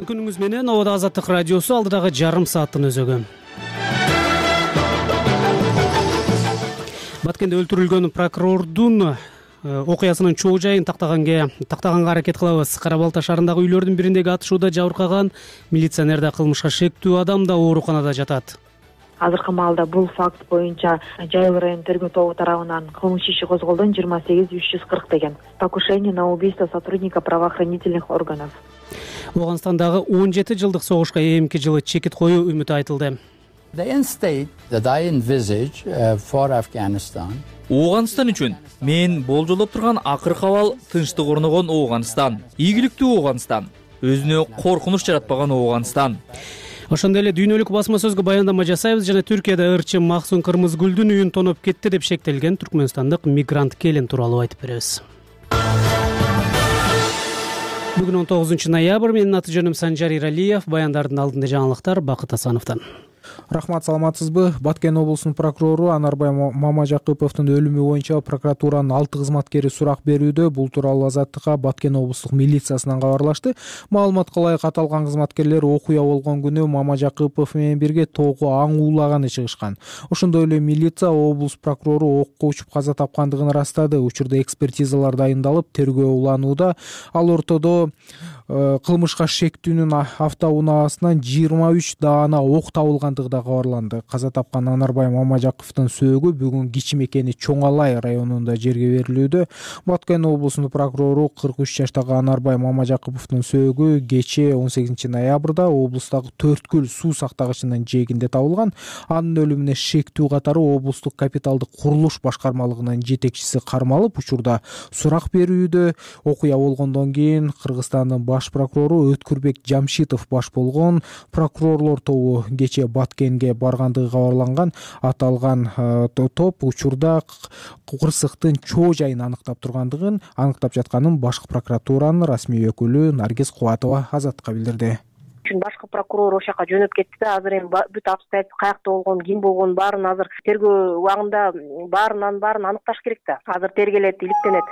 күнүңүз менен. Обада Азаттык радиосу алдыдагы жарым сааттын өзөгү. Баткенде өлтүрүлгөн прокурордун окуясынын чоо жайын тактаганга аракет кылабыз. Кара Балта шаарындагы үйлөрдүн бириндеги атышууда жабыркаган милиционерде кылмышка шектүү адам да ооруканада жатат. Азыркы маалда бул факт боюнча Жайыл район тергөө тобу тарабынан кылмыш иши козголдон 28-340 деген покушение на убийство сотрудника правоохранительных органов. Оганстандагы 17 жылдык согушка эмки жылы чекит коюу үмүтү айтылды. Оогандстан үчүн мен болжолдоп турган акыркы абал тынчтык орногон Оогандстан, ийгиликтүү Оогандстан, өзүнө коркунуч жаратпаган Оогандстан. Ошондой эле дүйнөлүк басма сөзгө баяндама жасайбыз жана Түркияда ырчы Максун Кырмызгүлдүн үйүн тоноп кетти деп шектелген түркмөнстандык мигрант келин тууралуу айтып беребиз. Бүгүн 19 ноябрь. Менин аты жөнүм Санжар Иралиев. Баяндардын алдында жаңылыктар Бакыт Асановдон. Рахмат, саламатсызбы? Баткен облусунун прокурору Анарбай Мамажакыповдун өлүмү боюнча прокуратуранын 6 кызматкери сурак берүүдө. Бул тууралуу Азаттыкка Баткен облустук милициясынан кабарлашты. Маалыматка ылайык аталган кызматкерлер окуя болгон күнү Мамажакыпов менен бирге тоого аң уулаганы чыгышкан. Ошондой эле милиция облус прокурору окко учуп каза тапкандыгын ырастады. Учурда экспертизалар дайындалып, тергөө уланууда. Ал ортодо кылмышка шектүүнүн автоунаасынан 23 даана ок табылгандыгы да кабарланды. Каза тапкан Анарбай Мамажаковдун сөөгү бүгүн Кичи Мекени Чоң Алай районунда жерге берилүүдө. Баткен облусунун прокурору 43 жаштагы Анарбай Мамажаковдун сөөгү кечээ 18 ноябрда облустагы Төрткүл суу сактагычынын жээгинде табылган. Анын өлүмүнө шектүү катары облустук капиталдык курулуш башкармалыгынын жетекчиси кармалып, учурда сурак берүүдө. Окуя болгондон кийин Кыргызстандын баш прокурору Өткүрбек Жамшитов баш болгон прокурорлор тобу кечээ Баткенге баргандыгы кабарланган. Аталган топ учурда кырсыктын чоо жайын аныктап жатканын башкы прокуратуранын расмий өкүлү Наргиз Кубатова Азаттыкка билдирди. Башкы прокурор ошол жака жөнөп кетти да, азыр эми бүт обстоятельства каякта болгон, ким болгон баарын азыр тергөө убагында баарын аныкташ керек да. Азыр тергелет, иликтенет.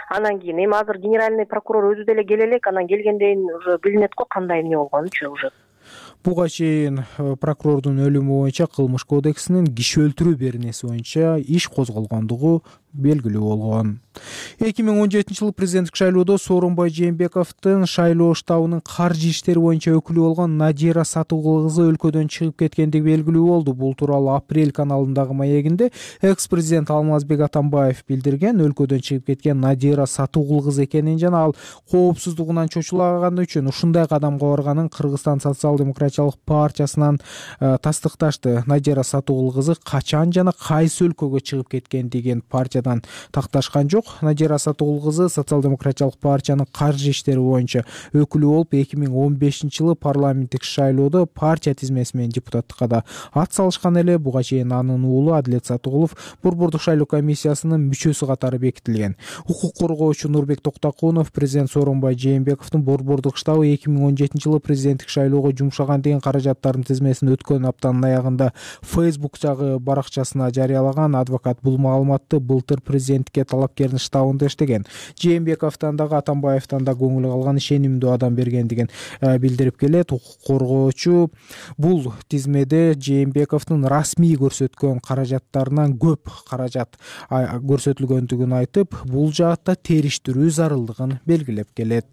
Анан кийин эми азыр генеральный прокурор өзү деле келе элек, анан келгенден уже билинет го кандай эмне болгонучу уже. Буга чейин прокурордун өлүмү боюнча Кылмыш кодексинин киши өлтүрүү беренеси боюнча иш козголгондугу белгилүү болгон. 2017 жылы президенттик шайлоодо Сооронбай Жээнбековдун шайлоо штабынын каржы иштери боюнча өкүлү болгон Надира Сатыгул кызы өлкөдөн чыгып кеткендиги белгилүү болду. Бул тууралуу Апрель каналындагы маегинде экс-президент Алмазбек Атамбаев билдирген. Өлкөдөн чыгып кеткен Надира Сатыгул кызы экенин жана ал коопсуздугунан чочулаганы үчүн ушундай кадамга барганын Кыргызстан социал-демократиялык партиясынан тастыкташты. Надира Сатыгул кызы качан жана кайсы өлкөгө чыгып кеткендигин партиядан такташкан жок. Надира Сатыгул кызы социал-демократиялык партиянын каржы иштери боюнча өкүлү болуп, 2015 жылы парламенттик шайлоодо партия тизмеси менен депутаттыкка да ат салышкан эле. Буга чейин анын уулу Адилет Сатыгулов Борбордук шайлоо комиссиясынын мүчөсү катары бекитилген. Укук коргоочу Нурбек Токтокунов президент Сооронбай Жээнбековдун Борбордук штабы 2017 жылы президенттик шайлоого жумшаган деген каражаттардын тизмесин өткөн аптанын аягында Facebook'тагы баракчасына жарыялаган. Адвокат бул маалыматты былтыр президенттикке талапкердин штабында иштеген Жээнбековдон дагы Атамбаевдон да көңүл калган ишенимдүү адам бергендигин билдирип келет. Укук коргоочу бул тизмеде Жээнбековдун расмий көрсөткөн каражаттарынан көп каражат көрсөтүлгөндүгүн айтып, бул жаатта териштирүү зарылдыгын белгилеп келет.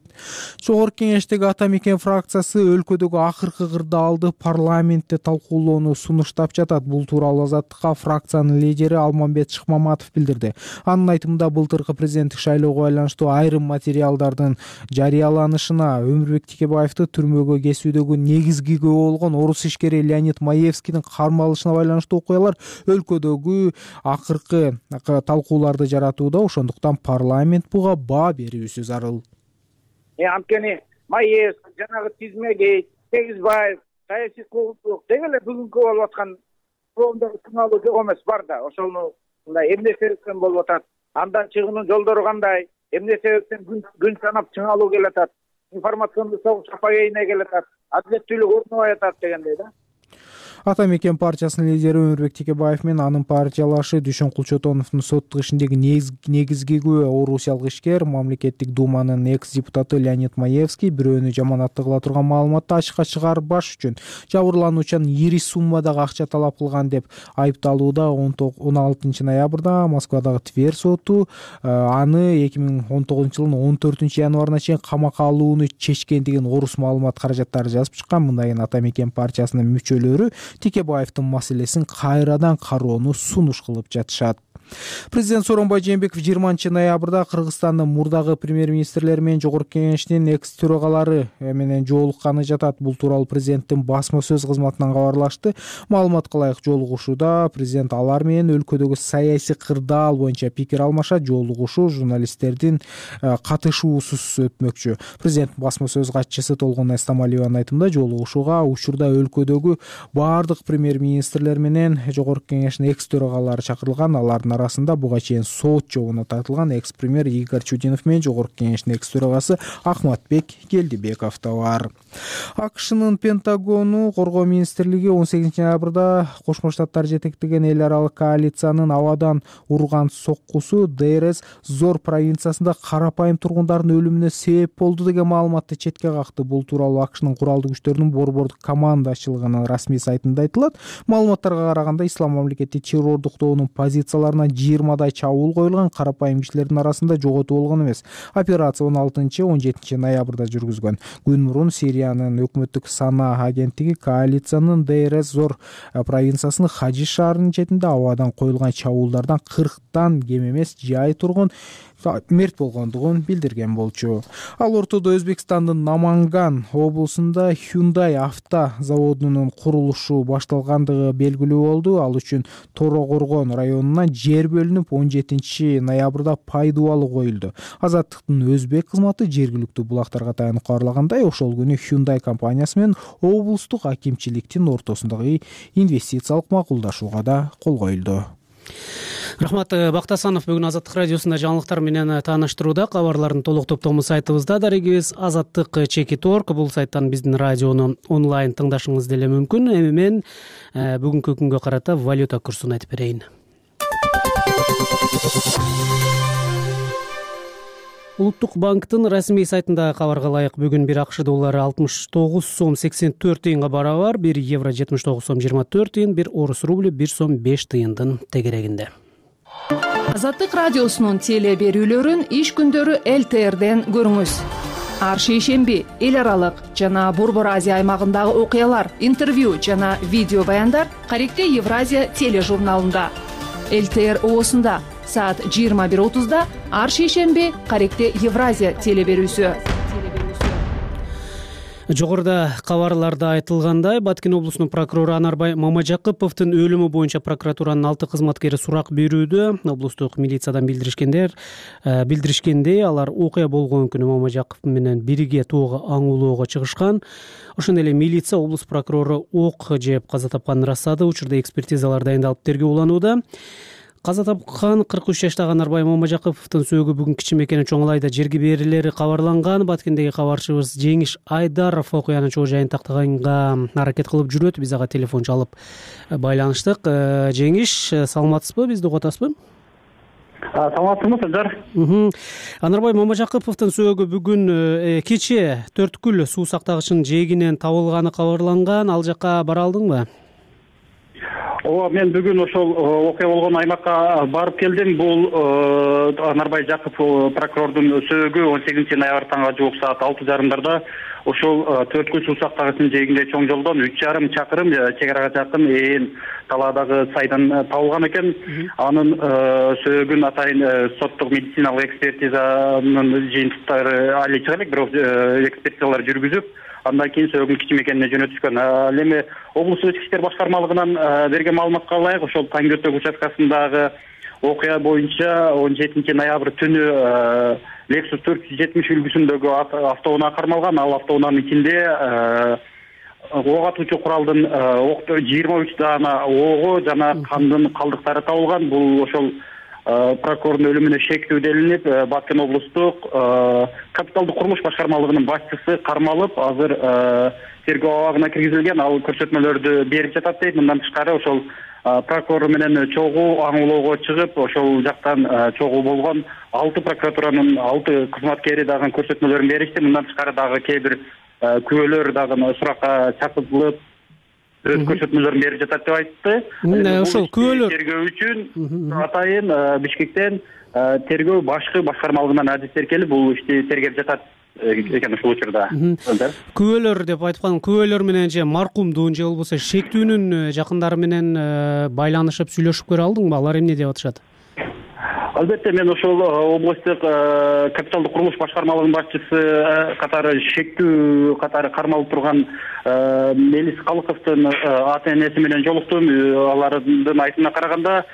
Жогорку кеңештеги Ата Мекен фракциясы өлкөдөгү акыркы кырдаалды парламентте талкуулоону сунуштап жатат. Бул тууралуу Азаттыкка фракциянын лидери Алмамбет Шыкмаматов билдирди. Анын айтымында, былтыркы президенттик шайлоого байланыштуу айрым материалдардын жарыяланышына, Өмүрбек Текебаевди түрмөгө кесүүдөгү негизги күбө болгон орус ишкери Леонид Маевскийдин кармалышына байланыштуу окуялар өлкөдөгү акыркы талкууларды жаратууда. Ошондуктан парламент буга баа берүүсү зарыл. Анткени Маевский, жанагы Тизмеге, Тегизбаев, саясий куугунчулук деги эле бүгүнкү болуп аткан коомдогу сыналуу жок эмес бар да. Ошону мындай эмне себептен болуп атат, андан чыгуунун жолдору кандай, эмне себептен күн санап чыңалуу келатат, информациондук согуш апогейине келатат, адилеттүүлүк орнобой атат дегендей да. Ата мекен партиясынын лидери Өмүрбек Текебаев менен анын партиялашы Дүйшөн Кулчотоновдун соттук ишиндеги негизги күбө орусиялык ишкер мамлекеттик думанын экс депутаты Леонид Маевский бирөөнү жаманатты кыла турган маалыматты ачыкка чыгарбаш үчүн жабырлануучудан ири суммадагы акча талап кылган деп айыпталууда. 16 ноябрда Москвадагы Тверь соту аны 2019 жылдын 14 январына чейин камакка алууну чечкен деген орус маалымат каражаттары жазып чыккан. Мындайын Ата мекен партиясынын мүчөлөрү Текебаевдин маселесин кайрадан кароону сунуш кылып жатышат. Президент Сооронбай Жээнбеков 20 ноябрда Кыргызстандын мурдагы премьер-министрлери менен Жогорку Кеңештин экс төрагалары менен жолукканы жатат. Бул тууралуу президенттин басма сөз кызматынан кабарлашты. Маалыматка ылайык жолугушууда президент алар менен өлкөдөгү саясий кырдаал боюнча пикир алмашат. Жолугушуу журналисттердин катышуусуз өтмөкчү. Президент басма сөз катчысы Толгон Эстамалиеванын айтымында жолугушууга учурда өлкөдөгү баардык премьер-министрлер менен Жогорку Кеңештин экс төрагалары чакырылган. Алардын арасында буга чейин сот жообуна тартылган экс-премьер Игорь Чудинов менен Жогорку Кеңештин экс төрагасы Ахматбек Келдибеков да бар. АКШнын Пентагону коргоо министрлиги 18 ноябрда Кошмо Штаттар жетектеген эл аралык коалициянын абадан урган соккусу Дейрез Зор провинциясында карапайым тургундардын өлүмүнө себеп болду деген маалыматты четке какты. Бул тууралуу АКШнын куралдуу күчтөрүнүн борбордук командачылыгынын расмий сайтында айтылат. Маалыматтарга караганда Ислам мамлекети террордуктоонун позицияларына 20дай чабуул коюлган. Карапайым кишилердин арасында жоготуу болгон эмес. Операция 16-17 ноябрда жүргүзгөн. Күн мурун Сириянын өкмөттүк санаа агенттиги коалициянын Дейрез Зор провинциясынын Хажиш шаарынын четинде абадан коюлган чабуулдардан 40тан кем эмес жай тургун мерт болгондугун билдирген болчу. Ал ортодо Өзбекстандын Наманган облусунда Hyundai авто заводунун курулушу башталгандыгы белгилүү болду. Ал үчүн Торо-Коргон районунан жер бөлүнүп 17 ноябрда пай дубалы коюлду. Азаттыктын өзбек кызматы жергиликтүү булактарга таянып кабарлагандай, ошол күнү Hyundai компаниясы менен облустук акимчиликтин ортосундагы инвестициялык макулдашууга да кол коюлду. Рахмат Бактасанов бүгүн Азаттык радиосунда жаңылыктар менен тааныштырууда. Кабарлардын толук топтому сайтыбызда дарегибиз azattik.org. Бул сайттан биздин радиону онлайн тыңдашыңыз деле мүмкүн. Эми мен бүгүнкү күнгө карата валюта курсун айтып берейин. Улуттук банктын расмий сайтында кабарга ылайык бүгүн бир АКШ доллары 69 сом 84 тыйынга барабар, 1 евро 79 сом 24 тыйын, 1 орус рубль 1 сом 5 тыйындын тегерегинде. Азаттык радиосунун теле берүүлөрүн иш күндөрү ЛТРден көрүңүз. Ар шейшемби эл аралык жана Борбор Азия аймагындагы окуялар, интервью жана видео баяндар Каректе Евразия тележурналында. ЛТР оосунда саат 21:30 ар шейшемби Каректе Евразия теле берүүсү. Жогоруда кабарларда айтылгандай, Баткен облусунун прокурору Анарбай Мамажакыповдун өлүмү боюнча прокуратуранын 6 кызматкери сурак берүүдө. Облустук милициядан билдиришкендей, алар окуя болгон күнү Мамажаков менен бирге тоого аңуулоого чыгышкан. Ошондой эле милиция облус прокурору ок жеп каза тапканын ырастады. Учурда экспертизалар дайындалып тергөө уланууда. Каза тапкан 43 жаштагы Анарбай Мамажаковдун сөөгү бүгүн Кичи Мекени Чоңалайда жерге берилери кабарланган. Баткендеги кабарчыбыз Жеңиш Айдаров окуянын чоо жайын тактаганга аракет кылып жүрөт. Биз ага телефон чалып байланыштык. Жеңиш, саламатсызбы? Бизди угуп атасызбы? Саламатсызбы, Сыздар? Анарбай Мамажаковдун сөөгү бүгүн кече Төрткүл суу сактагычынын жээгинен табылганы кабарланган. Ал жакка бара алдыңбы? Мен бүгүн ошол окуя болгон аймакка барып келдим. Бул Анарбай Жакупов прокурордун сөөгү 18 ноябрь таңга жуук саат 6:30 ошол Төрткүл суу сактагычынын жээгинде чоң жолдон 3,5 чакырым чек арага жакын ээн талаадагы сайдан табылган экен. Анын сөөгүн атайын соттук медициналык экспертизанын жыйынтыктары али чыга элек, бирок экспертизалар жүргүзүп, андан кийин сөөгүн Кичи Мекенине жөнөтүшкөн. Ал эми облустук ички иштер башкармалыгынан берген маалыматка ылайык, ошол Таңгөтөк участкасындагы окуя боюнча 17 ноябрь түнү Lexus 470 үлгүсүндөгү автоунаа кармалган. Ал автоунаанын ичинде ок атуучу куралдын 23 даана ого жана кандын калдыктары табылган. Бул ошол прокурордун өлүмүнө шектүү делинип, Баткен облустук капиталдык курулуш башкармалыгынын башчысы кармалып, азыр тергөө абагына киргизилген. Ал көрсөтмөлөрдү берип жатат дейт. Мындан тышкары ошол прокурор менен чогуу аңлоого чыгып, ошол жактан чогуу болгон 6 прокуратуранын 6 кызматкери дагы көрсөтмөлөрүн беришти. Мындан тышкары дагы кээ бир күбөлөр дагы суракка чакыртылып, өз көрсөтмөлөрүн берип жатат деп айтты. Ошол күбөлөр тергөө үчүн атайын Бишкектен тергөө башкы башкармалыгынан адистер келип, бул ишти тергеп жатат экен ушул учурда. Күбөлөр деп айткан, күбөлөр менен же маркумдун же болбосо шектүүнүн жакындары менен байланышып сүйлөшүп көрө алдыңбы? Алар эмне деп атышат? Албетте, мен ошол областтык капиталдык курулуш башкармалыгынын башчысы катары шектүү катары кармалып турган Мелис Калыковдун ата-энеси менен жолуктум. Алардын айтымына караганда,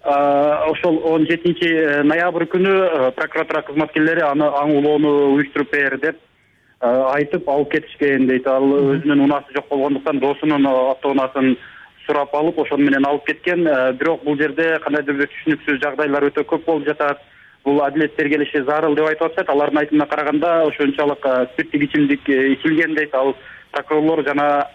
ошол 17 ноябрь күнү прокуратура кызматкерлери аны аңлоону уюштуруп бер деп айтып алып кетишкен дейт. Ал өзүнүн унаасы жок болгондуктан досунун автоунаасын сурап алып, ошону менен алып кеткен. Бирок бул жерде кандайдыр бир түшүнүксүз жагдайлар өтө көп болуп жатат. Бул адилет тергелиши зарыл деп айтып атышат. Алардын айтымына караганда, ошончолук спирттик ичимдик ичилген дейт. Ал прокурорлор жана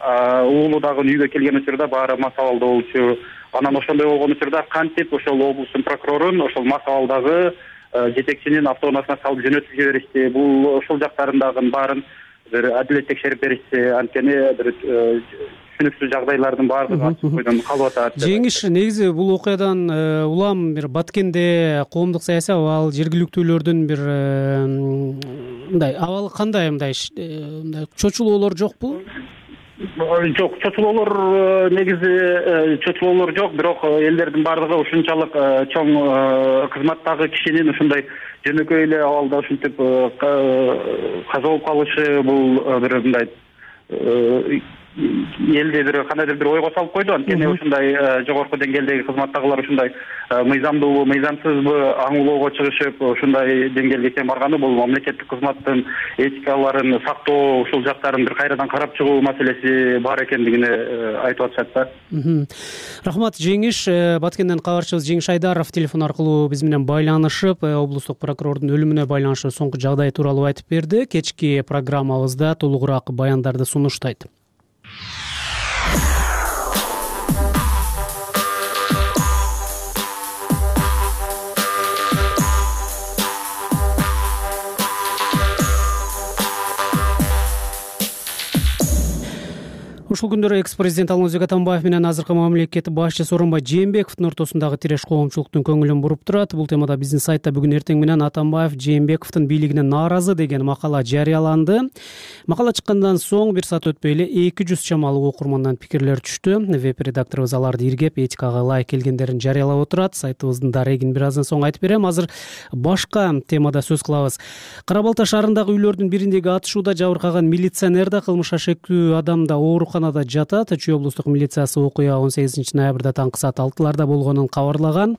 уулу дагы үйгө келген учурда баары мас абалда болчу. Анан ошондой болгон учурда кантип ошол облустун прокурорун ошол мас абалдагы жетекчинин автоунаасына салып жөнөтүп жиберишти. Бул ошол жактарындагы баарын бир адилет текшерип беришти. Анткени бир түшүнүксүз жагдайлардын баардыгы ачык бойдон калып атат. Жеңиш, негизи бул окуядан улам бир Баткенде коомдук саясий абал, жергиликтүүлөрдүн бир мындай абалы кандай, мындай чочулоолор жокпу? Жок, чочулоолор негизи чочулоолор жок, бирок элдердин баардыгы ушунчалык чоң кызматтагы кишинин ушундай жөнөкөй эле абалда ушинтип каза болуп калышы бул бир мындай элди бир кандайдыр бир ойго салып койду. Анткени ушундай жогорку деңгээлдеги кызматтагылар ушундай мыйзамдуубу, мыйзамсызбы аңлоого чыгышып, ушундай деңгээлге чейин барганы бул мамлекеттик кызматтын этикаларын сактоо, ушул жактарын бир кайрадан карап чыгуу маселеси бар экендигине айтып атышат да. Рахмат, Жеңиш. Баткенден кабарчыбыз Жеңиш Айдаров телефон аркылуу биз менен байланышып, облустук прокурордун өлүмүнө байланыштуу соңку жагдай тууралуу айтып берди. Кечки программабызда толугураак баяндарды сунуштайт. Ушул күндөрү экс-президент Алмазбек Атамбаев менен азыркы мамлекет башчысы Сооронбай Жээнбековдун ортосундагы тиреш коомчулуктун көңүлүн буруп турат. Бул темада биздин сайтта бүгүн эртең менен Атамбаев Жээнбековдун бийлигине нааразы деген макала жарыяланды. Макала чыккандан соң бир саат өтпөй эле 200 чамалуу окурмандан пикирлер түштү. Веб-редакторубуз аларды иргеп, этикага ылайык келгендерин жарыялап отурат. Сайтыбыздын дарегин бир аздан соң айтып берем. Азыр башка темада сөз кылабыз. Кара Балта шаарындагы үйлөрдүн бириндеги атышууда жабыркаган милиционер да кылмышка шектүү адам да ооруканада жатат. Чүй облустук милициясы окуя 18 ноябрда таңкы саат 6-ларда болгонун кабарлаган.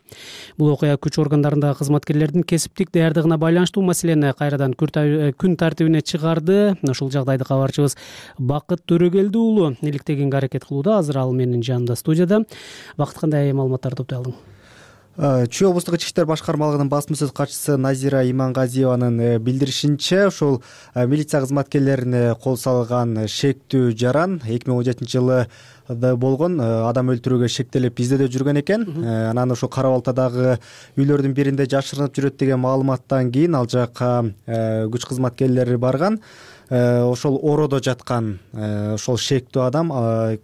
Бул окуя күч органдарындагы кызматкерлердин кесиптик даярдыгына байланыштуу маселени кайрадан күн тартибине чыгарды. Ушул жагдайды кабарчыбыз Бакыт Төрөгелди уулу иликтегенге аракет кылууда. Азыр ал менин жанымда студияда. Бакыт, кандай маалыматтар топтой алдың? Чүй облустук ички иштер башкармалыгынын басма сөз катчысы Назира Имангазиеванын билдиришинче, ушул милиция кызматкерлерине кол салган шектүү жаран 2017 жылы болгон адам өлтүрүүгө шектелип издөөдө жүргөн экен. Анан ошол Кара Балтадагы үйлөрдүн биринде жашырынып жүрөт деген маалыматтан кийин ал жакка күч кызматкерлери барган. Ошол ороодо жаткан ошол шектүү адам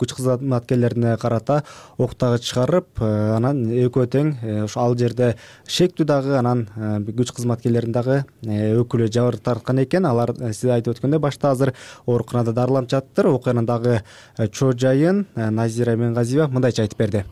күч кызматкерлерине карата октагы чыгарып, анан экөө тең ошо ал жерде шектүү дагы, анан күч кызматкерлеринин дагы өкүлү жабыр тарткан экен. Алар сиз айтып өткөндөй башта азыр ооруканада дарыланып жатыптыр. Окуянын дагы чоо жайын Назира Имангазиева мындайча айтып берди.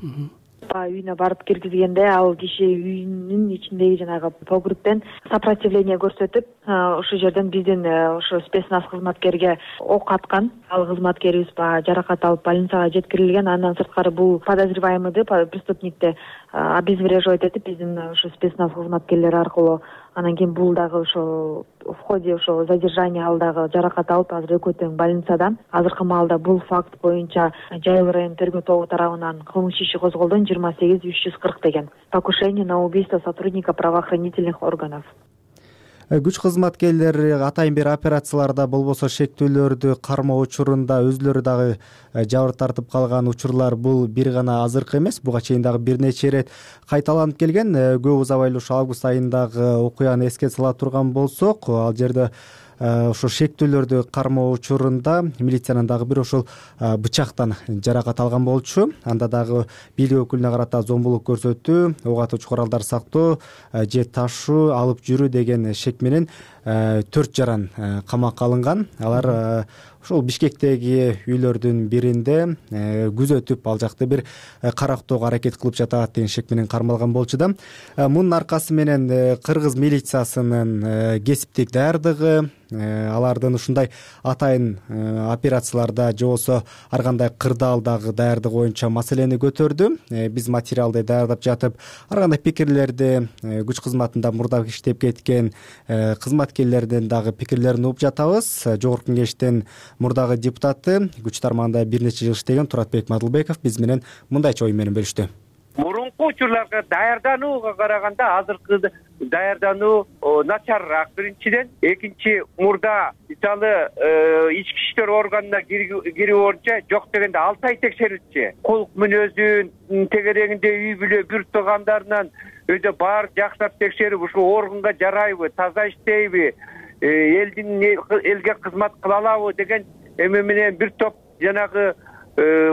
Үйүнө барып киргизгенде ал киши үйүнүн ичиндеги жанагы погребтен сопротивление көрсөтүп, ошол жерден биздин ошо спецназ кызматкерге ок аткан. Ал кызматкерибиз жаракат алып больницага жеткирилген. Андан сырткары бул подозреваемыйды, преступникти обезвреживать этип биздин ошо спецназ кызматкерлери аркылуу Анан кийин бул дагы ошо в ходе ошо задержания ал дагы жаракат алып азыр экөө тең больницада. Азыркы маалда бул факт боюнча Жайыл район тергөө тобу тарабынан кылмыш иши козголду 28-340 деген. Покушение на убийство сотрудника правоохранительных органов. Күч кызматкерлери атайын бир операцияларда болбосо шектүүлөрдү кармоо учурунда өзүлөрү дагы жабыр тартып калган учурлар бул бир гана азыркы эмес, буга чейин дагы бир нече ирет кайталанып келген. Көп узабай эле ошо август айындагы окуяны эске сала турган болсок, ал жерде ошо шектүүлөрдү кармоо учурунда милициянын дагы бир ошол бычактан жаракат алган болчу. Анда дагы бийлик өкүлүнө карата зомбулук көрсөтүү, ок атуучу куралдар сактоо же ташуу, алып жүрүү деген шек менен 4 жаран камакка алынган. Алар ошол Бишкектеги үйлөрдүн биринде күзөтүп, ал жакты бир карактоого аракет кылып жатат деген шек менен кармалган болчу да. Мунун аркасы менен кыргыз милициясынын кесиптик даярдыгы, алардын ушундай атайын операцияларда же болбосо ар кандай кырдаалдагы даярдыгы боюнча маселени көтөрдү. Биз материалды даярдап жатып, ар кандай пикирлерди күч кызматында мурда иштеп кеткен кызматкерлердин дагы пикирлерин угуп жатабыз. Жогорку кеңештин мурдагы депутаты, күч тармагында бир нече жыл иштеген Туратбек Мадылбеков биз менен мындайча ой менен бөлүштү. Мурунку учурларга даярданууга караганда азыркы даярдануу начарыраак биринчиден. Экинчи, мурда мисалы ички иштер органына кирүү боюнча жок дегенде 6 ай текшерилчү. Кулк мүнөзүн тегерегинде үй бүлө бүт туугандарынан өйдө баары жакшылап текшерип, ушул органга жарайбы, таза иштейби, элге кызмат кыла алабы деген эме менен бир топ жанагы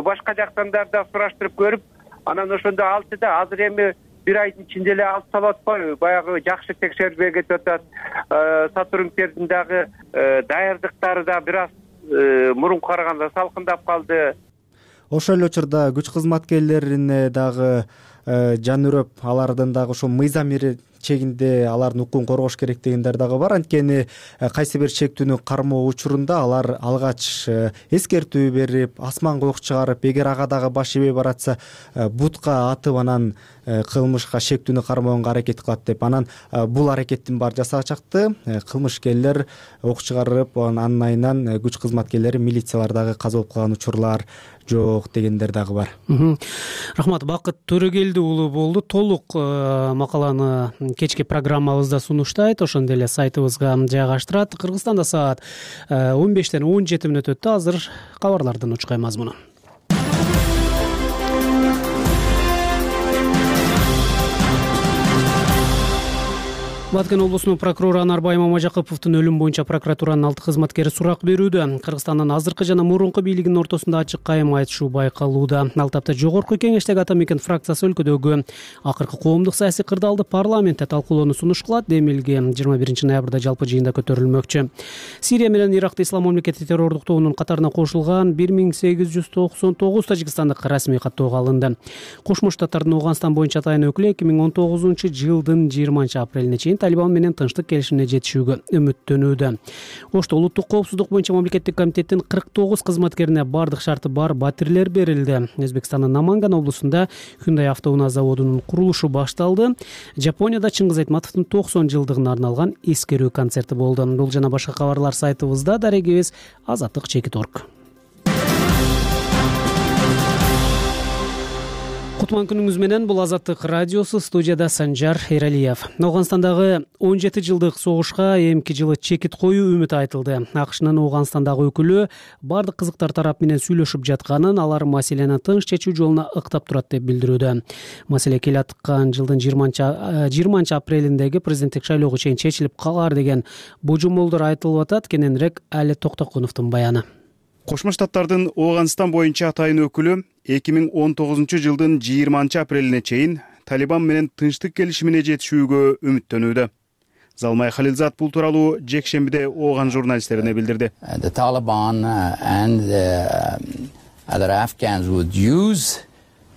башка жактандар да сураштырып көрүп, анан ошондо алды да азыр эми бир айдын ичинде эле алып салып атпайбы, баягы жакшы текшерилбей кетип атат. Сотрудниктердин дагы даярдыктары да бир аз мурунку караганда салкындап калды. Ошол эле учурда күч кызматкерлерине дагы жан үрөп, алардын дагы ошо мыйзам чегинде алардын укугун коргош керек дегендер дагы бар. Анткени кайсы бир шектүүнү кармоо учурунда алар алгач эскертүү берип, асманга ок чыгарып, эгер ага дагы баш ийбей баратса бутка атып, анан кылмышка шектүүнү кармоого аракет кылат деп. Анан бул аракеттин баары жасалчакты. Кылмышкерлер ок чыгарып, анын айынан күч кызматкерлери, милициялар дагы каза болуп калган учурлар жок дегендер дагы бар. Рахмат. Бакыт Төрөгелди уулу болду. Толук макаланы кечки программабызда сунуштайт, ошондой эле сайтыбызга жайгаштырат. Кыргызстанда саат 15-тен 17 мүнөт өттү. Азыр кабарлардын учкай мазмуну. Баткен облусунун прокурору Анарбай Мамажакыповдун өлүм боюнча прокуратуранын 6 кызматкери сурак берүүдө. Кыргызстандын азыркы жана мурунку бийлигинин ортосунда ачык кайым айтышуу байкалууда. Ал тапта жогорку кеңештеги Ата Мекен фракциясы өлкөдөгү акыркы коомдук саясий кырдаалды парламентте талкуулоону сунуш кылат. Демилге 21 ноябрда жалпы жыйында көтөрүлмөкчү. Сирия менен Иракты ислам мамлекети террордуктоонун катарына кошулган 1899 тажикстандык расмий каттоого алынды. Кошмо Штаттардын Ооганстан боюнча атайын өкүлү 2019 жылдын 20 апрелине чейин Талибан менен тынчтык келишимине жетишүүгө үмүттөнүүдө. Ошто улуттук коопсуздук боюнча мамлекеттик комитеттин 49 кызматкерине бардык шарты бар батирлер берилди. Өзбекстандын Наманган облусунда Hyundai автоунаа заводунун курулушу башталды. Жапонияда Чыңгыз Айтматовдун 90 жылдыгына арналган эскерүү концерти болду. Бул жана башка кабарлар сайтыбызда. Дарегибиз Азаттык.org. Кутман күнүңүз менен, бул Азаттык радиосу, студияда Санжар Эралиев. Ооганстандагы 17 жылдык согушка эмки жылы чекит коюу үмүт айтылды. АКШнын Ооганстандагы өкүлү бардык кызыктар тарап менен сүйлөшүп жатканын, алар маселени тынч чечүү жолуна ыктап турат деп билдирүүдө. Маселе келаткан жылдын 20 апрелиндеги президенттик шайлоого чейин чечилип калар деген божомолдор айтылып атат. Кененирээк Али Токтокуновдун баяны. Кошмо Штаттардын Ооганстан боюнча атайын өкүлү 2019 жылдын 20 апрелине чейин Талибан менен тынчтык келишимине жетишүүгө үмүттөнүүдө. Залмай Халилзат бул тууралуу жекшембиде Ооган журналисттерине билдирди. The Taliban and other Afghans would use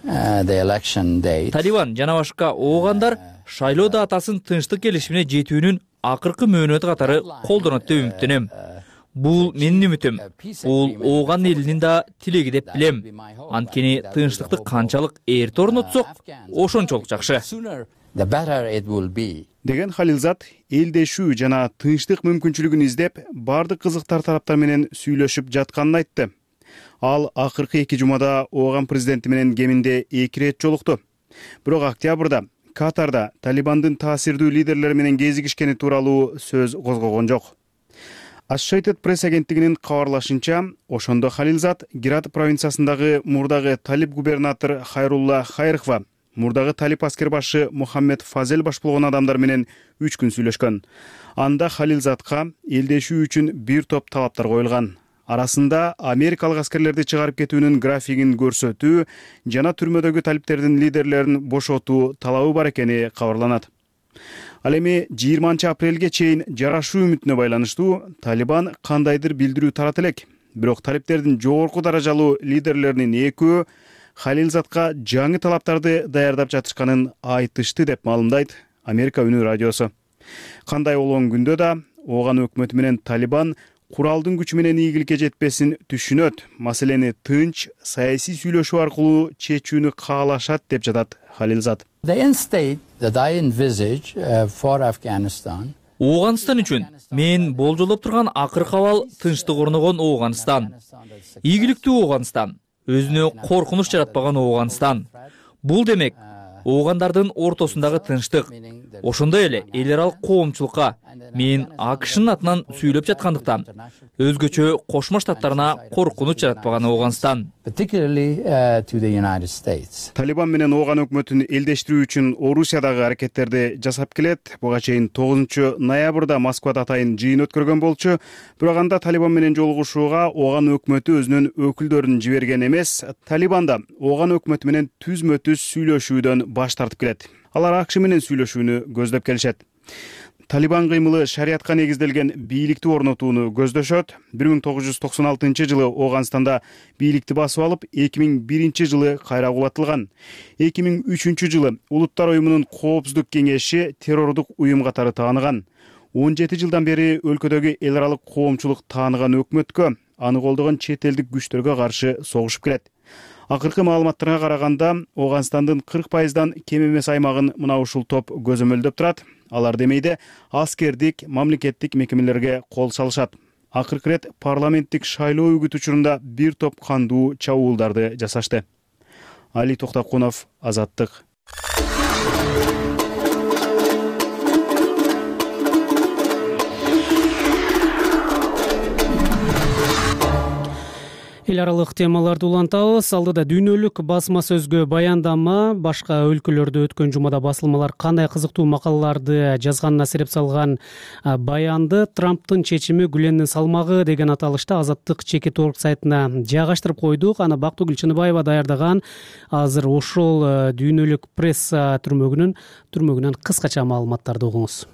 the election date. Талибан жана башка оогандар шайлоо датасын тынчтык келишимине жетүүнүн акыркы мөөнөтү катары колдонот деп үмүттөнөм. Бул менин үмүтүм. Бул Ооган элинин да тилеги деп билем. Анткени тынчтыкты канчалык эрте орнотсок, ошончолук жакшы. The better it will be. деген Халилзат элдешүү жана тынчтык мүмкүнчүлүгүн издеп баардык кызыктар тараптар менен сүйлөшүп жатканын айтты. Ал акыркы 2 жумада Ооган президенти менен кеминде 2 ирет жолукту. Бирок октябрда Катарда Талибандын таасирдүү лидерлери менен кезигишкени тууралуу сөз козгогон жок. Associated Press агенттигинин кабарлашынча, ошондо Халилзат Герат провинциясындагы мурдагы талиб губернатор Хайрулла Хайрхва, мурдагы талиб аскер башы Мухаммед Фазел баш болгон адамдар менен 3 күн сүйлөшкөн. Анда Халилзатка элдешүү үчүн бир топ талаптар коюлган. Арасында америкалык аскерлерди чыгарып кетүүнүн графигин көрсөтүү жана түрмөдөгү талиптердин лидерлерин бошотуу талабы бар экени кабарланат. Ал эми 20-апрелге чейин жарашуу үмүтүнө байланыштуу Талибан кандайдыр билдирүү тарата элек. Бирок талиптердин жогорку даражалуу лидерлеринин экөө Халилзатка жаңы талаптарды даярдап жатышканын айтышты деп маалымдайт Америка үнү радиосу. Кандай болгон күндө да Ооган өкмөтү менен Талибан куралдын күчү менен ийгиликке жетпесин түшүнөт, маселени тынч, саясий сүйлөшүү аркылуу чечүүнү каалашат деп жатат Халилзат. Ооганстан үчүн мен болжолдоп турган акыркы абал тынчтык орногон Ооганстан. Ийгиликтүү Ооганстан, өзүнө коркунуч жаратпаган Ооганстан. Бул демек Оогандардын ортосундагы тынчтык. Ошондой эле эл аралык коомчулукка мен АКШнын атынан сүйлөп жаткандыктан өзгөчө Кошмо Штаттарына коркунуч жаратпаган Ооганстан. Талибан менен Ооган өкмөтүн элдештирүү үчүн Орусиядагы аракеттерди жасап келет. Буга чейин 9 ноябрда Москвада атайын жыйын өткөргөн болчу. Бирок анда Талибан менен жолугушууга Ооган өкмөтү өзүнүн өкүлдөрүн жиберген эмес. Талибан да Ооган өкмөтү менен түзмө-түз сүйлөшүүдөн баш тартып келет. Алар АКШ менен сүйлөшүүнү көздөп келишет. Талибан кыймылы шариятка негизделген бийликти орнотууну көздөшөт. 1996 жылы Ооганстанда бийликти басып алып, 2001 жылы кайра кулатылган. 2003 жылы Улуттар уюмунун коопсуздук кеңеши террордук уюм катары тааныган. 17 жылдан бери өлкөдөгү эл аралык коомчулук тааныган өкмөткө, аны колдогон чет элдик күчтөргө каршы согушуп келет. Акыркы маалыматтарга караганда, Ооганстандын 40%дан кем эмес аймагын мына ушул топ көзөмөлдөп турат. Алар демейде аскердик, мамлекеттик мекемелерге кол салышат. Акыркы рет парламенттик шайлоо үгүт учурунда бир топ кандуу чабуулдарды жасашты. Али Токтокунов, Азаттык. Эл аралык темаларды улантабыз. Алдыда дүйнөлүк басма сөзгө баяндама, башка өлкөлөрдө өткөн жумада басылмалар кандай кызыктуу макалаларды жазганына сереп салган баянды Трамптын чечими Гүлендин салмагы деген аталышта Азаттык Чекит.org сайтына жайгаштырып койдук. Аны Бактыгүл Чыныбаева даярдаган. Азыр ошол дүйнөлүк пресса түрмөгүнөн кыскача маалыматтарды угуңуз.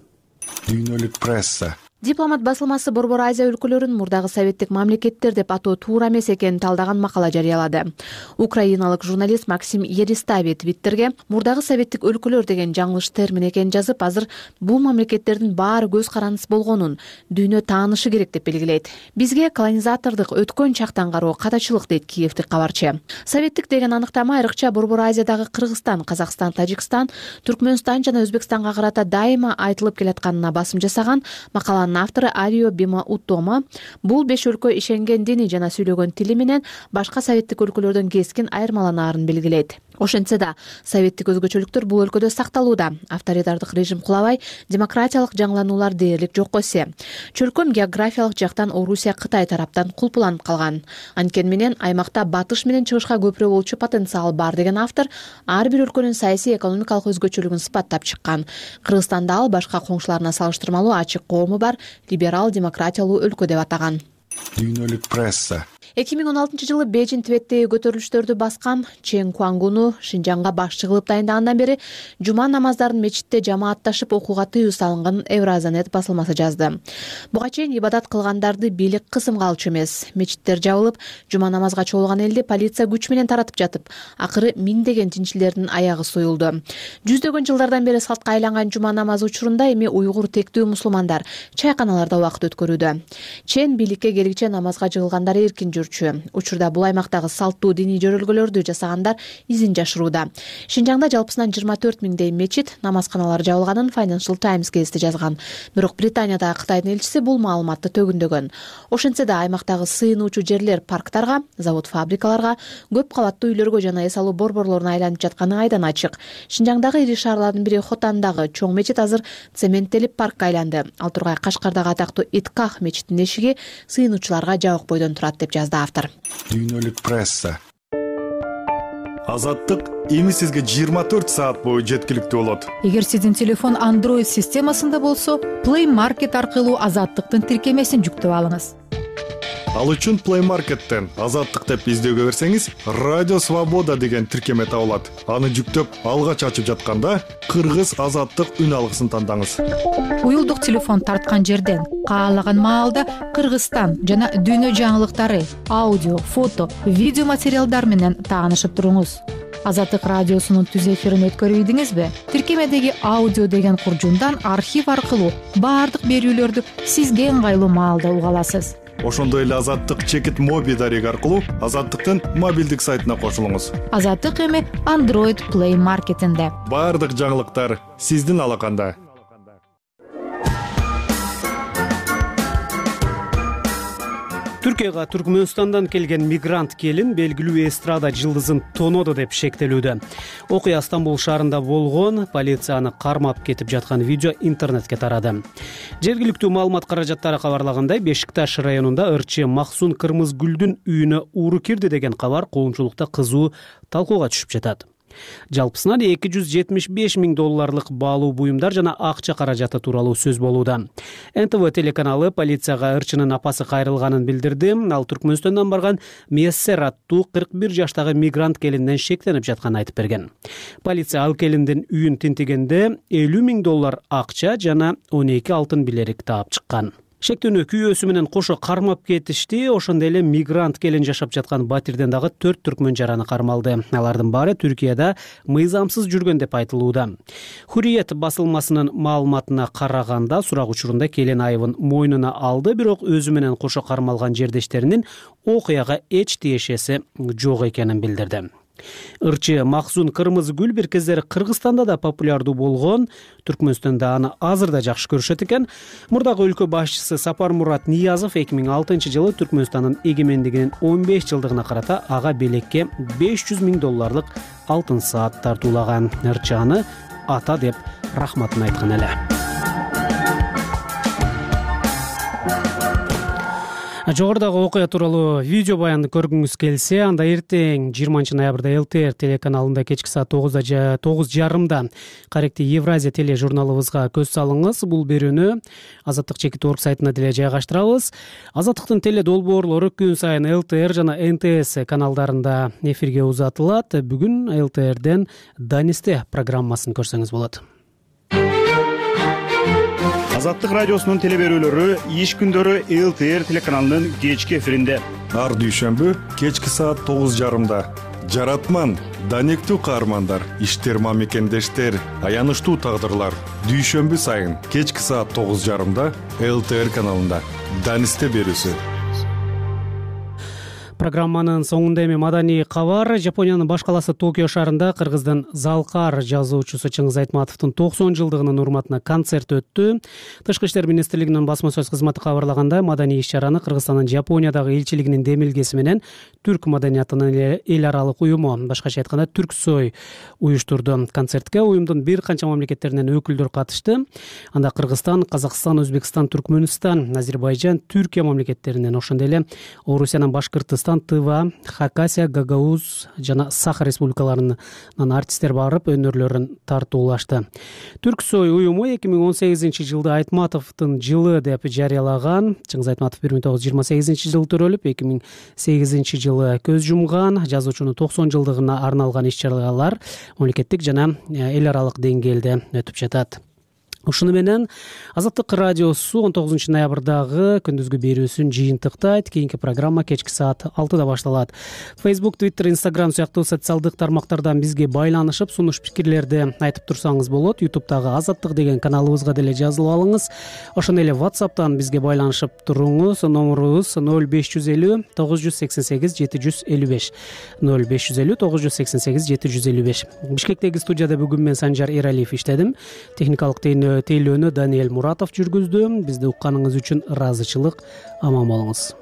Дүйнөлүк пресса. Дипломат басылмасы Борбор Азия өлкөлөрүн мурдагы советтик мамлекеттер деп атоо туура эмес экенин талдаган макала жарыялады. Украиналык журналист Максим Еристави Твиттерге мурдагы советтик өлкөлөр деген жаңылыш термин экенин жазып, азыр бул мамлекеттердин баары көз карандысыз болгонун дүйнө таанышы керек деп белгилейт. Бизге колонизатордук өткөн чактан кароо катачылык дейт киевдик кабарчы. Советтик деген аныктама айрыкча Борбор Азиядагы Кыргызстан, Казакстан, Тажикстан, Түркмөнстан жана Өзбекстанга карата дайыма айтылып келатканына басым жасаган макаланын автору Арио Бима Уттома бул 5 өлкө ишенген дини жана сүйлөгөн тили менен башка советтик өлкөлөрдөн кескин айырмаланаарын белгилейт. Ошентсе да, советтик өзгөчөлүктөр бул өлкөдө сакталууда. Авторитардык режим кулабай, демократиялык жаңылануулар дээрлик жокко эсе. Чөлкөм географиялык жактан Орусия, Кытай тараптан кулпуланып калган. Анткени менен аймакта батыш менен чыгышка көпүрө болчу потенциал бар деген автор ар бир өлкөнүн саясий экономикалык өзгөчөлүгүн сыпаттап чыккан. Кыргызстанды ал башка коңшуларына салыштырмалуу ачык коому бар либерал демократиялуу өлкө деп атаган. Дүйнөлүк пресса. 2016 жылы Бейжин Тибеттеги көтөрүлүштөрдү баскан Чен Куангуну Шинжаңга башчы кылып дайындагандан бери жума намаздарын мечитте жамаатташып окууга тыюу салынган Евразанет басылмасы жазды. Буга чейин ибадат кылгандарды бийлик кысымга алчу эмес. Мечиттер жабылып, жума намазга чогулган элди полиция күч менен таратып жатып, акыры миңдеген тинчилердин аягы союлду. Жүздөгөн жылдардан бери салтка айланган жума намазы учурунда эми уйгур тектүү мусулмандар чайканаларда убакыт өткөрүүдө. Чен бийликке келгиче намазга жыгылгандар эркин жүр. өткөрүүчү. Учурда бул аймактагы салттуу диний жөрөлгөлөрдү жасагандар изин жашырууда. Шинжаңда жалпысынан 24 миңдей мечит, намазканалар жабылганын Financial Times гезити жазган. Бирок Британиядагы Кытайдын элчиси бул маалыматты төгүндөгөн. Ошентсе да аймактагы сыйынуучу жерлер парктарга, завод-фабрикаларга, көп кабаттуу үйлөргө жана эс алуу борборлоруна айланып жатканы айдан ачык. Шинжаңдагы ири шаарлардын бири Хотандагы чоң мечит азыр цементтелип паркка айланды. Ал тургай Кашкардагы атактуу Итках мечитинин эшиги сыйынуучуларга жабык бойдон турат деп жазды автор. Дүйнөлүк пресса. Азаттык эми сизге 24 саат бою жеткиликтүү болот. Эгер сиздин телефон Android системасында болсо, Play Market аркылуу Азаттыктын тиркемесин жүктөп алыңыз. Ал үчүн Play Market'тен Азаттык деп издөөгө берсеңиз, Радио Свобода деген тиркеме табылат. Аны жүктөп, алгач ачып жатканда Кыргыз Азаттык үн алгысын тандаңыз. Уюлдук телефон тарткан жерден каалаган маалда Кыргызстан жана дүйнө жаңылыктары, аудио, фото, видео материалдар менен таанышып туруңуз. Азаттык радиосунун түз эфирин өткөрүп ийдиңизби? Тиркемедеги аудио деген куржундан архив аркылуу баардык берүүлөрдү сизге ыңгайлуу маалда уга аласыз. Ошондой эле Азаттык чекит моби дареги аркылуу Азаттыктын мобилдик сайтына кошулуңуз. Азаттык эми Android Play Market'инде. Баардык жаңылыктар сиздин алаканда. Түркияга Түркмөнстандан келген мигрант келин белгилүү эстрада жылдызын тонодо деп шектелүүдө. Окуя Стамбул шаарында болгон, полицияны кармап кетип жаткан видео интернетке тарады. Жергиликтүү маалымат каражаттары кабарлагандай, Бешикташ районунда ырчы Максун Кырмызгүлдүн үйүнө уру кирди деген кабар коомчулукта кызуу талкууга түшүп жатат. Жалпысынан $275 миң баалуу буюмдар жана акча каражаты тууралуу сөз болууда. НТВ телеканалы полицияга ырчынын апасы кайрылганын билдирди. Ал Түркмөнстөндөн барган Мессер аттуу 41 жаштагы мигрант келинден шектенип жатканын айтып берген. Полиция ал келиндин үйүн тинтигенде $50 миң акча жана 12 алтын билерик таап чыккан. Шектүүнү күйөөсү менен кошо кармап кетишти. Ошондой эле мигрант келин жашап жаткан батирден дагы 4 түркмөн жараны кармалды. Алардын баары Түркияда мыйзамсыз жүргөн деп айтылууда. Hurriyet басылмасынын маалыматына караганда, сурак учурунда келин айыбын мойнуна алды, бирок өзү менен кошо кармалган жердештеринин окуяга эч тиешеси жок экенин билдирди. Ырчы Максун Кырмызгүл бир кездери Кыргызстанда да популярдуу болгон, Түркмөнстөндө аны азыр да жакшы көрүшөт экен. Мурдагы өлкө башчысы Сапармурат Ниязов 2006 жылы Түркмөнстандын эгемендигинин 15 жылдыгына карата ага белекке $500 миң алтын саат тартуулаган. Ырчы аны ата деп рахматын айткан эле. Жогорудагы окуя тууралуу видео баянды көргүңүз келсе, анда эртең 20 ноябрда ЛТР телеканалында кечки саат 9:30 каректи Евразия теле журналыбызга көз салыңыз. Бул берүүнү Азаттык чекит орг сайтына деле жайгаштырабыз. Азаттыктын теле долбоорлору күн сайын ЛТР жана НТС каналдарында эфирге узатылат. Бүгүн ЛТРден Данисте программасын көрсөңүз болот. Азаттык радиосунун теле берүүлөрү иш күндөрү ЛТР телеканалынын кечки эфиринде. Ар дүйшөмбү кечки саат 9:30. Жаратман, данектүү каармандар, иштер мамекендештер, аянычтуу тагдырлар. Дүйшөмбү сайын кечки саат 9:30 ЛТР каналында Данисте берүүсү. Программанын соңунда эми маданий кабар. Жапониянын баш каласы Токио шаарында Кыргыздын Залкар жазуучусу Чыңгыз Айтматовдун 90 жылдыгынын урматына концерт өттү. Тышкы иштер министрлигинин басма сөз кызматы кабарлагандай, маданий иш-чараны Кыргызстандын Жапониядагы элчилигинин демилгеси менен түрк маданиятынын эл аралык уюму, башкача айтканда Түрксой уюштурду. Концертке уюмдун бир канча мамлекеттеринен өкүлдөр катышты. Анда Кыргызстан, Казакстан, Өзбекстан, Түркмөнстан, Азербайжан, Түркия мамлекеттеринен, ошондой эле Орусиянын Башкыртыстан, Тыва, Хакасия, Гагаузия жана Саха республикаларынын артисттер барып өнөрлөрүн тартуулашты. Түрксой уюму 2018 жылды Айтматовдун жылы деп жарыялаган. Чыңгыз Айтматов 1928 жылы төрөлүп, 2008 жылы көз жумган. Жазуучунун 90 жылдыгына арналган иш-чаралар мамлекеттик жана эл аралык деңгээлде өтүп жатат. ушуну менен Азаттык радиосу 19 ноябрдагы күндүзгү берүүсүн жыйынтыктайт. Кийинки программа кечки саат 6-да башталат. Facebook, Twitter, Instagram сыяктуу социалдык тармактардан бизге байланышып, сунуш пикирлерди айтып турсаңыз болот. YouTube'дагы Азаттык деген каналыбызга деле жазылып алыңыз. Ошондой эле WhatsApp'тан бизге байланышып туруңуз. Номерубуз 0550 988 755 0550 988 755. Бишкектеги студияда бүгүн мен Санжар Эралиев иштедим. Техникалык тейлөөнү Даниэль Муратов жүргүздү. Бизди укканыңыз үчүн ыраазычылык. Аман болуңуз.